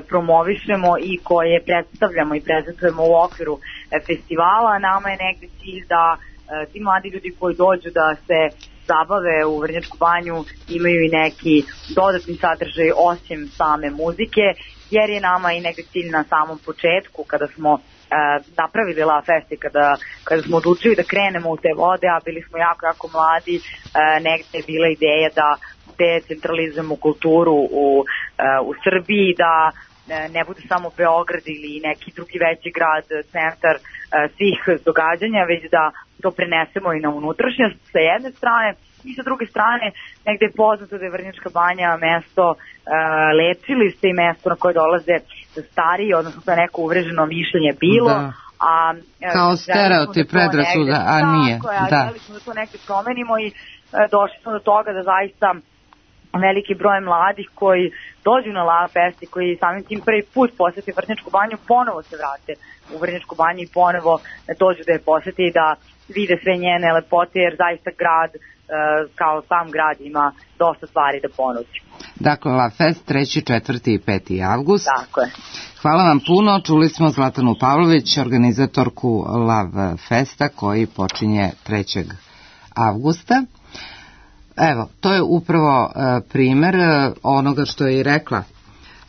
promovišemo i koje predstavljamo i prezentujemo u okviru festivala. Nama je negde cilj da ti mladi ljudi koji dođu da se zabave u Vrnjačku banju imaju i neki dodatni sadržaj osim same muzike, jer je nama i negde cilj na samom početku kada smo napravili La Fest i kada smo odlučili da krenemo u te vode, a bili smo jako mladi, negde je bila ideja da decentralizujemo kulturu u Srbiji, da ne bude samo Beograd ili neki drugi veći grad, centar svih događanja, već da to prenesemo i na unutrašnjost sa jedne strane i sa druge strane negde je poznato da je Vrnjačka banja mesto lečilište i mesto na koje dolaze stariji, odnosno to je neko uvreženo mišljenje bilo. Kao stereotip, predrasuda, a nije. Želi smo da to negde promenimo i došli smo do toga da zaista veliki broj mladih koji dođu na La Fest i koji samim tim prvi put posete Vrnjačku banju, ponovo se vrate u Vrnjačku banju i ponovo dođu da je posete i da vide sve njene lepote, jer zaista grad, kao sam grad, ima dosta stvari da ponudi. Dakle, La Fest 3., 4. i 5. avgust. Tako je. Hvala vam puno. Čuli smo Zlatanu Pavlović, organizatorku La Festa, koji počinje 3. avgusta. Evo, to je upravo primer onoga što je i rekla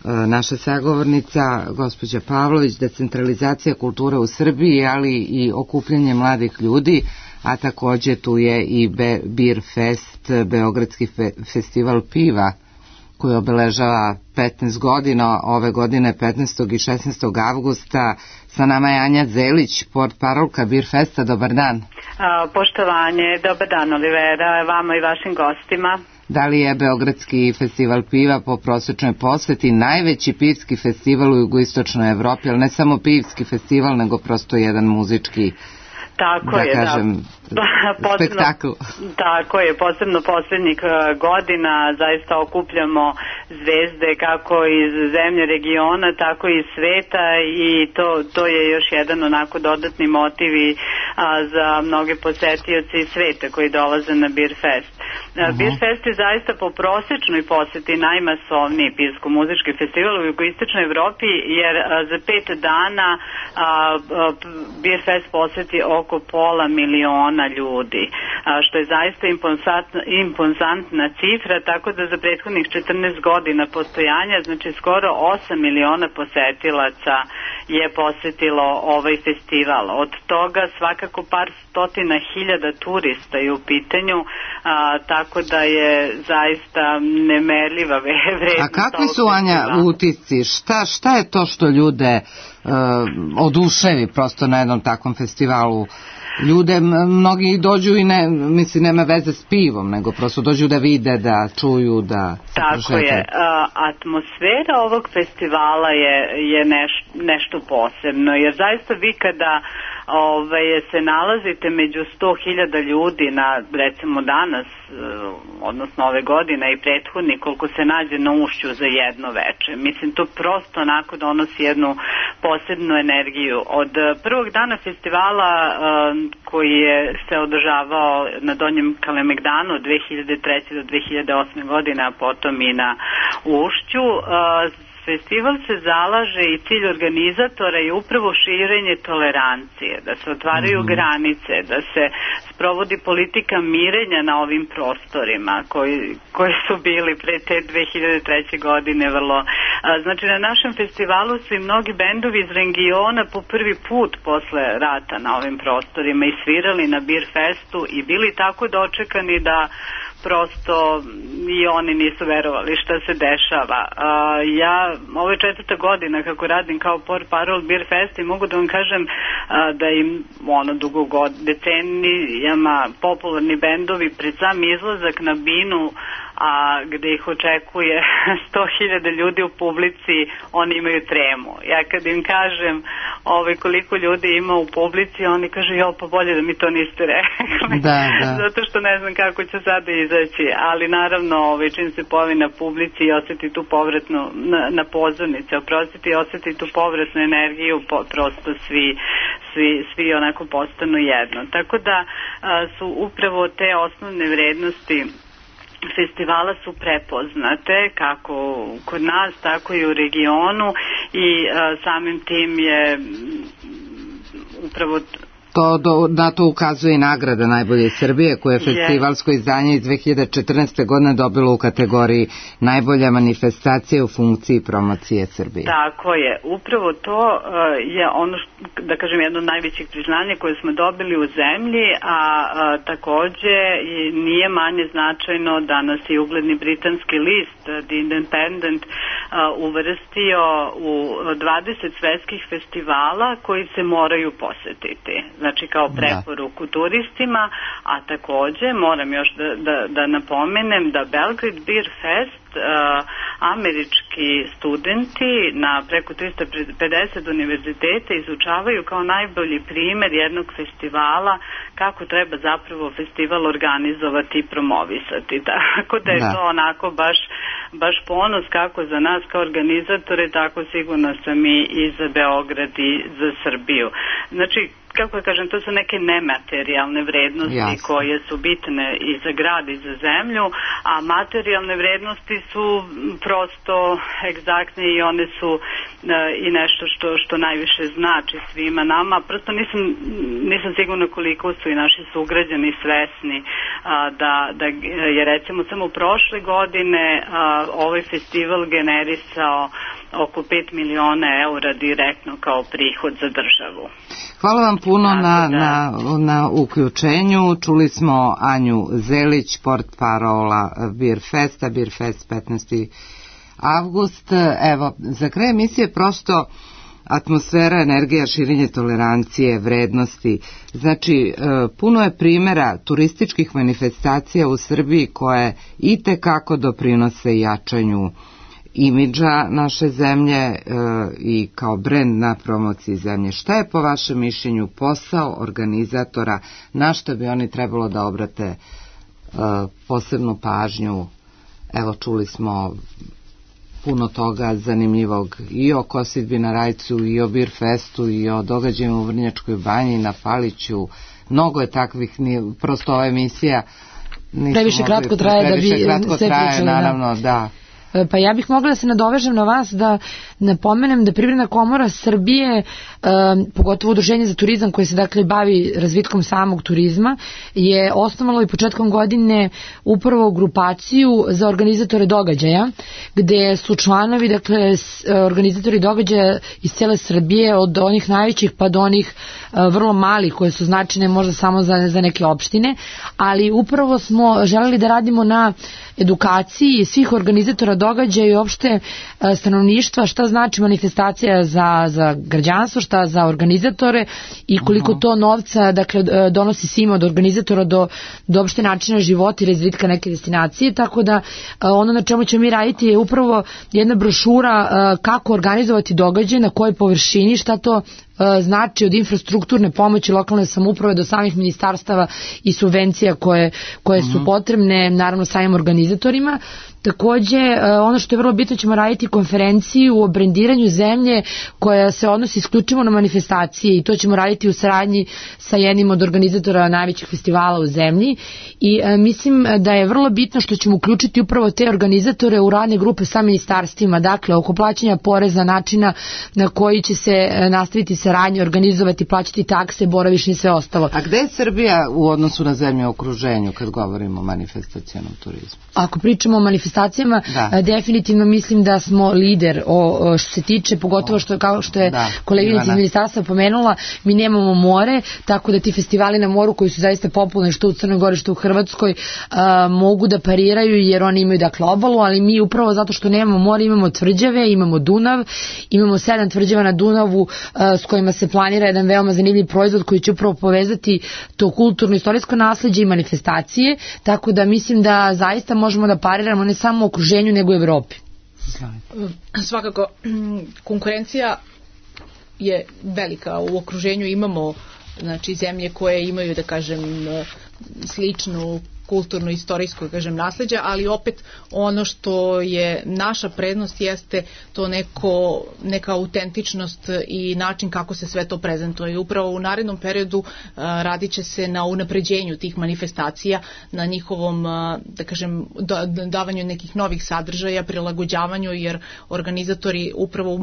naša sagovornica, gospođa Pavlović, decentralizacija kulture u Srbiji, ali i okupljanje mladih ljudi, a takođe tu je i Beer Fest, Beogradski festival piva koji obeležava 15 godina, ove godine 15. i 16. avgusta. Sa nama je Anja Zelić, portparolka Beer Festa. Dobar dan. Poštovanje, dobar dan Olivera, vama i vašim gostima. Da li je Beogradski festival piva po prosečnoj poseti najveći pivski festival u jugoistočnoj Evropi, ali ne samo pivski festival, nego prosto jedan muzički, tako je, kažem, spektakl? Tako je, posebno poslednjih godina zaista okupljamo zvezde kako iz zemlje regiona, tako i sveta i to je još jedan onako dodatni motiv za mnoge posetioce iz sveta koji dolaze na Beer Fest. Beer Fest je zaista po prosečnoj poseti najmasovniji pivsko-muzički festival u jugoistočnoj Evropi, jer za 5 dana Beer Fest poseti oko 500.000 ljudi, što je zaista impozantna cifra, tako da za prethodnih 14 godina postojanja, znači skoro 8 miliona posetilaca je posetilo ovaj festival. Od toga svakako par stotina hiljada turista je u pitanju, tako da je zaista nemerljiva vrednost. A kakvi su, Anja, utisci? Šta je to što ljude oduševi prosto na jednom takvom festivalu? Ljude, mnogi dođu i nema veze s pivom, nego prosto dođu da vide, da čuju, da se prošetaju. Tako je. Atmosfera ovog festivala je nešto posebno, jer zaista vi kada se nalazite među 100.000 ljudi na, recimo danas, odnosno ove godine i prethodni, koliko se nađe na Ušću za jedno veče. Mislim, to prosto onako donosi jednu posebnu energiju. Od prvog dana festivala koji je se održavao na Donjem Kalemegdanu od 2003. do 2008. godine, a potom i na Ušću, festival se zalaže i cilj organizatora je upravo širenje tolerancije, da se otvaraju granice, da se sprovodi politika mirenja na ovim prostorima koji su bili pre te 2003. godine vrlo. Znači, na našem festivalu su i mnogi bendovi iz regiona po prvi put posle rata na ovim prostorima i svirali na Beer Festu i bili tako dočekani da prosto i oni nisu verovali šta se dešava. Ovo je 4. godina kako radim kao portparol Beer Fest i mogu da vam kažem da im decenijama popularni bendovi pred sam izlazak na binu, a gde ih očekuje 100.000 ljudi u publici, oni imaju tremu. Ja kad im kažem koliko ljudi ima u publici, oni kažu, pa bolje da mi to niste rekli. Da. Zato što ne znam kako će sada izaći, ali naravno čim se pojavi na publici i osjeti tu povratnu, na pozornici, osjeti tu povratnu energiju, prosto svi onako postanu jedno. Tako da su upravo te osnovne vrednosti festivala su prepoznate kako kod nas, tako i u regionu i samim tim je upravo na to ukazuje i nagrada Najbolje Srbije, koje je festivalsko izdanje iz 2014. godine dobilo u kategoriji Najbolja manifestacija u funkciji promocije Srbije. Tako je. Upravo to je ono, da kažem, jedno od najvećih priznanja koje smo dobili u zemlji, a takođe nije manje značajno da nas je ugledni britanski list The Independent uvrstio u 20 svetskih festivala koji se moraju posetiti. Znači kao preporuku turistima, a takođe moram još da napomenem da Belgrade Beer Fest američki studenti na preko 350 univerziteta izučavaju kao najbolji primer jednog festivala kako treba zapravo festival organizovati i promovisati. Tako da je to onako baš ponos kako za nas kao organizatore, tako sigurno sam i za Beograd i za Srbiju. Znači, kako kažem, to su neke nematerijalne vrednosti koje su bitne i za grad i za zemlju, a materijalne vrednosti su prosto egzaktne i one su i nešto što najviše znači svima nama. Prosto nisam sigurna koliko su i naši sugrađani svesni da je recimo samo prošle godine ovaj festival generisao oko 5 miliona eura direktno kao prihod za državu. Hvala vam puno na uključenju. Čuli smo Anju Zelić, portparola Beer Festa, Beer Fest 15. avgust. Evo, za kraj emisije prosto atmosfera, energija, širenje tolerancije, vrednosti. Znači, puno je primjera turističkih manifestacija u Srbiji koje itekako doprinose jačanju imidža naše zemlje i kao brend na promociji zemlje. Šta je po vašem mišljenju posao organizatora, na što bi oni trebalo da obrate posebnu pažnju? Evo, čuli smo puno toga zanimljivog i o kosidbi na Rajcu, i o Beer Festu, i o događajima u Vrnjačkoj banji, na Paliću. Mnogo je takvih, prosto ova emisija previše kratko traje da bi sve pričali. Naravno, da. Pa ja bih mogla da se nadovežem na vas, da napomenem da Privredna komora Srbije, pogotovo udruženje za turizam koje se dakle bavi razvitkom samog turizma, je osnovalo i početkom godine upravo grupaciju za organizatore događaja, gde su članovi, dakle, organizatori događaja iz cele Srbije, od onih najvećih pa do onih vrlo malih koje su značajne možda samo za neke opštine, ali upravo smo želeli da radimo na edukaciji svih organizatora događaja i uopšte stanovništva šta znači manifestacija za građanstvo, šta za organizatore i koliko to novca dakle donosi svima od organizatora do uopšte načina života i razvitka neke destinacije, tako da ono na čemu ćemo mi raditi je upravo jedna brošura kako organizovati događaj, na kojoj površini, šta to znači od infrastrukturne pomoći lokalne samouprave do samih ministarstava i subvencija koje su potrebne naravno samim organizatorima. Takođe, ono što je vrlo bitno, ćemo raditi konferenciju o brendiranju zemlje koja se odnosi isključivo na manifestacije i to ćemo raditi u saradnji sa jednim od organizatora najvećih festivala u zemlji i mislim da je vrlo bitno što ćemo uključiti upravo te organizatore u radne grupe sa ministarstvima, dakle oko plaćanja poreza, načina na koji će se nastaviti saradnje, organizovati, plaćati takse, boravišni i sve ostalo. A gde je Srbija u odnosu na zemlje u okruženju kad govorimo o manifestacionom turizmu? Ako pričamo o manifestacijama, definitivno mislim da smo lider što se tiče, pogotovo kao što je koleginica iz ministarstva pomenula, mi nemamo more, tako da ti festivali na moru koji su zaista popularni što u Crnoj Gori, što u Hrvatskoj, mogu da pariraju jer oni imaju dakle obalu, ali mi upravo zato što nemamo more imamo tvrđave, imamo Dunav, imamo 7 tvrđava na Dunavu s kojima se planira jedan veoma zanimljiv proizvod koji će upravo povezati to kulturno-istorijsko nasleđe i manifestacije, tako da mislim da zaista možemo da pariramo ne samo u okruženju nego u Evropi. Svakako, konkurencija je velika. U okruženju imamo znači zemlje koje imaju da kažem sličnu kulturno istorijsko kažem nasleđe, ali opet ono što je naša prednost jeste to neka autentičnost i način kako se sve to prezentuje. I upravo u narednom periodu radit će se na unapređenju tih manifestacija, na njihovom da kažem davanju nekih novih sadržaja, prilagođavanju, jer organizatori upravo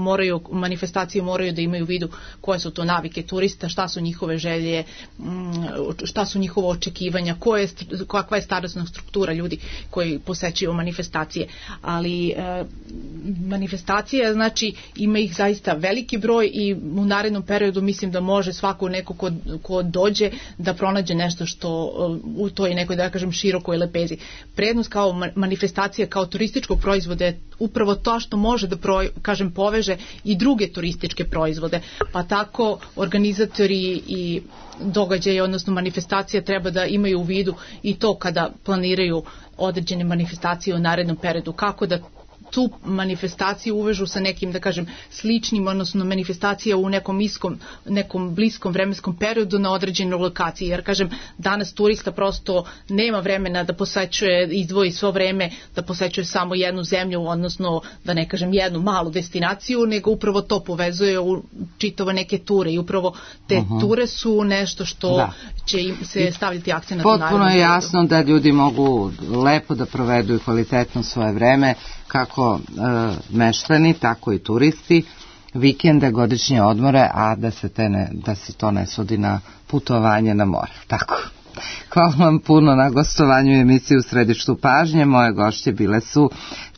manifestacije moraju da imaju u vidu koje su to navike turista, šta su njihove želje, šta su njihova očekivanja, kakva je starosna struktura ljudi koji posećuju manifestacije, ali manifestacija znači ima ih zaista veliki broj i u narednom periodu mislim da može svako neko ko dođe da pronađe nešto što u toj nekoj da kažem širokoj lepezi. Prednost kao manifestacija kao turističkog proizvoda je upravo to što može da kažem poveže i druge turističke proizvode, pa tako organizatori i događaje, odnosno manifestacije treba da imaju u vidu i to kada planiraju određene manifestacije u narednom periodu, kako da tu manifestaciju uvežu sa nekim, da kažem, sličnim, odnosno manifestacija u nekom bliskom vremenskom periodu na određenoj lokaciji, jer kažem, danas turista prosto nema vremena da posećuje, izdvoji svo vreme da posećuje samo jednu zemlju, odnosno da ne kažem jednu malu destinaciju, nego upravo to povezuje u čitava neke ture i upravo te ture su nešto što će im se staviti akcenat na narednom periodu. Potpuno je jasno da ljudi mogu lepo da provedu i kvalitetno svoje vreme, kako meštani, tako i turisti, vikende, godišnje odmore, a da se to ne svodi na putovanje na more. Tako. Hvala vam puno na gostovanju u emisiji U središtu pažnje. Moje gošće bile su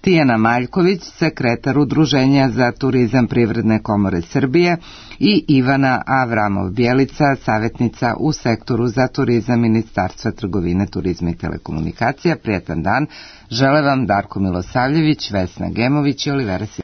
Tijana Maljković, sekretar Udruženja za turizam Privredne komore Srbije i Ivana Avramov-Bjelica, savjetnica u sektoru za turizam Ministarstva trgovine, turizma i telekomunikacija. Prijatan dan. Žele vam Darko Milosavljević, Vesna Gemović i Olivera Simović.